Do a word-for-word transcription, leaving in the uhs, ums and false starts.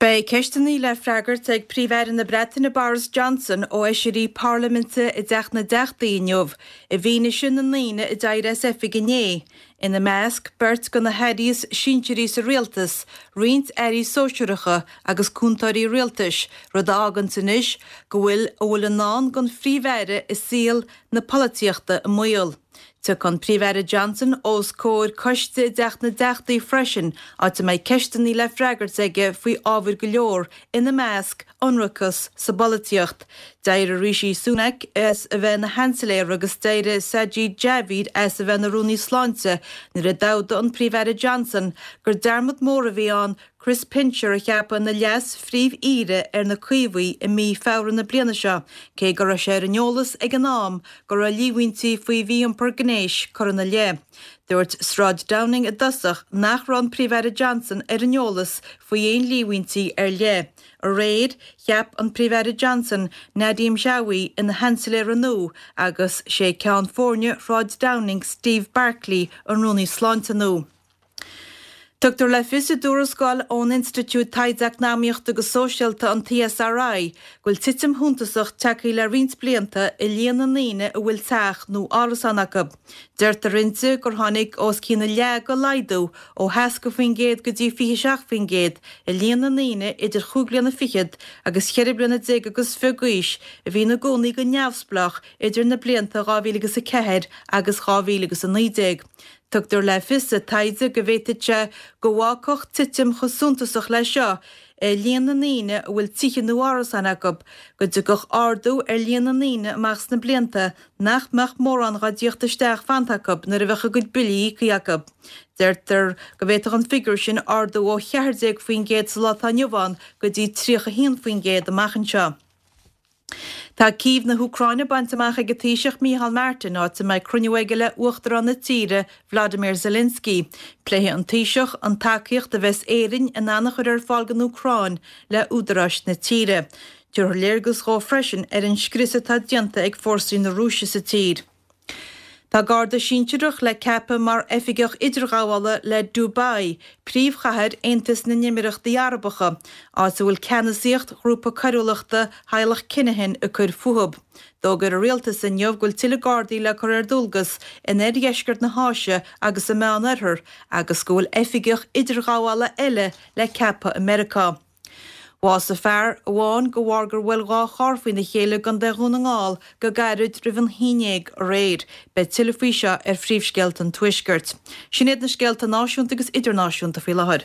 Beidh ceisteanna le freagairt ag Príomh-Aire na Breataine Boris Johnson ó fheisirí Parlaiminte i dTeach na dTeachtaí inniu, i bhfianaise na ndaoine a d'éirigh as oifig inné, ina measc beirt de na hairí is sinsearaí sa rialtas, roinnt airí sóisearacha agus cúntóirí rialtais, rud a fháganns anois go bhfuil a bhfuil i ndán don Phríomh-Aire i saol na polaitíochta i mbaol. Tiocfaidh an Príomh-Aire Johnson os comhair coiste i dTeach na dTeachtaí freisin, áit a mbeidh ceisteanna le freagairt aige faoi ábhair go leor, ina measc, ionracas sa bpolaitíocht. D'éirigh Rishi Sunak as a bheith ina Sheansailéir agus d'éirigh Sajid Javid as a bheith ina Rúnaí Sláinte nuair a d'fhógair an Príomh-Aire Johnson gur dearmad mór a bhí ann Chris Pincher a cheapadh ina Leas-Phríomh-Aoire ar na Caomhaigh i mí Feabhra na bliana seo, cé go raibh sé ar an eolas ag an am go raibh líomhaintí faoi mhí-iompar gnéis curtha ina leith. Dúirt Sráid Downing i dtosach nach raibh an Príomh-Aire Johnson ar an eolas faoi aon líomhaintí ar leith. Aréir, cheap an Príomh-Aire Johnson Nadhim Zahawi ina Sheansailéir nua agus sé ceann foirne Shráid Downing Steve Barclay an Rúnaí Sláinte nua. Tugtar le fios i dtuarascáil ón Institiúid Taighde Eacnamaíochta agus Sóisialta, an E S R I, go bhfuil titim shuntasach tagtha le roinnt blianta i líon na ndaoine a bhfuil teach nó árasán acu. Deirtear inti gur tháinig os cionn a leath de laghdú ó sheasca faoin gcéad go dtí fiche seacht faoin gcéad i líon na ndaoine idir chúig bliana fichead agus cheithre bliana déag agus fiche d'aois a bhí ina gcónaí go neamhspleách idir na blianta dhá mhíle agus a ceathair agus dhá mhíle agus a naoi déag. Tugtar le fios sa taighde go bhféadfadh sé go bhfágfadh titim chomh suntasach leis seo i líon na ndaoine a bhfuil tithe nó árasáin acu, go dtiocfadh ardú ar líon na ndaoine amach sna blianta nach mbeadh mórán dá dtíocht isteach fanta acu nuair a bheadh a gcuid billí íoctha acu. Deirtear go bhféadfadh an figiúr sin ardú ó cheathair déag faoin gcéad sa lá atá inniu ann go dtí tríocha haon faoin gcéad amach anseo. Tá Cív na hÚcráine bainte amach ag an Taoiseach Micheál Martin, áit a mbeidh cruinniú aige le Uachtarán na tíre Vladimir Zelensky. Pléifidh an Taoiseach an tacaíocht a bheas Éirinn in ann a chur ar fáil don Úcráin le údaráis na tíre. Tabharfar léargas dhó freisin ar an scrios atá déanta ag fórsaí na Rúise sa tír. Tá garda sinsearach le ceapadh mar oifigeach idirghabhála le Dubai, príomhchathair Aontas na nÉimíríochtaí Arabacha, áit a bhfuil ceannasaíocht ghrúpa coiriúlachta theaghlach Kinahan ag cur fúthu. D'fhógair an rialtas inniu go bhfuil tuilleadh gardaí le cur ar dualgas in oirdheisceart na hÁise agus sa Meánoirthear agus go bhfuil oifigeach idirghabhála eile le ceapadh i Meiriceá. Bhásaigh fear amháin de bharr gur bhuail dhá charr faoina chéile i gContae Dhún na nGall go gairid roimh an haon déag aréir. Beidh tuilleadh faoi seo ar phríomhscéalta an Tuaiscirt. Sin iad na scéalta náisiúnta agus idirnáisiúnta faoi láthair.